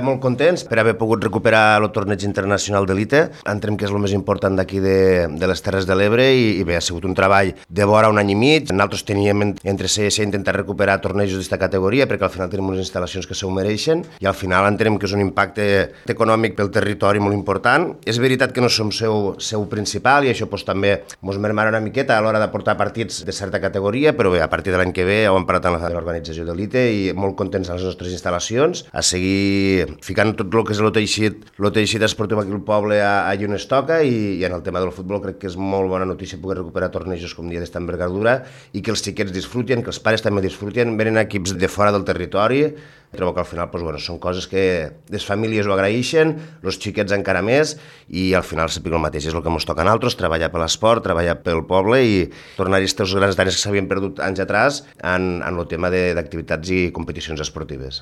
Molt contents per haver pogut recuperar el torneig internacional d'elite. Entenem que és el més important d'aquí de les Terres de l'Ebre i bé, ha sigut un treball de vora un any i mig. Nosaltres teníem entre CS intentar recuperar tornejos d'esta categoria perquè al final tenim unes instal·lacions que s'ho mereixen i al final entenem que és un impacte econòmic pel territori molt important. És veritat que no som seu principal i això també ens mermarà una miqueta a l'hora de portar partits de certa categoria, però bé, a partir de l'any que ve ho hem parlat amb l'organització d'elite i molt contents de les nostres instal·lacions, a seguir ficant tot el que és el teixit esportiu aquí al poble allà on es toca i en el tema del futbol crec que és molt bona notícia poder recuperar tornejos com dia d'esta envergadura i que els xiquets disfruten, que els pares també disfruten, venen equips de fora del territori. Trobo que al final són coses que les famílies ho agraeixen, els xiquets encara més i al final sempre el mateix, és el que ens toca a nosaltres, treballar per l'esport, treballar pel poble i tornar-hi aquests grans anys que s'havien perdut anys atrás en el tema d'activitats i competicions esportives.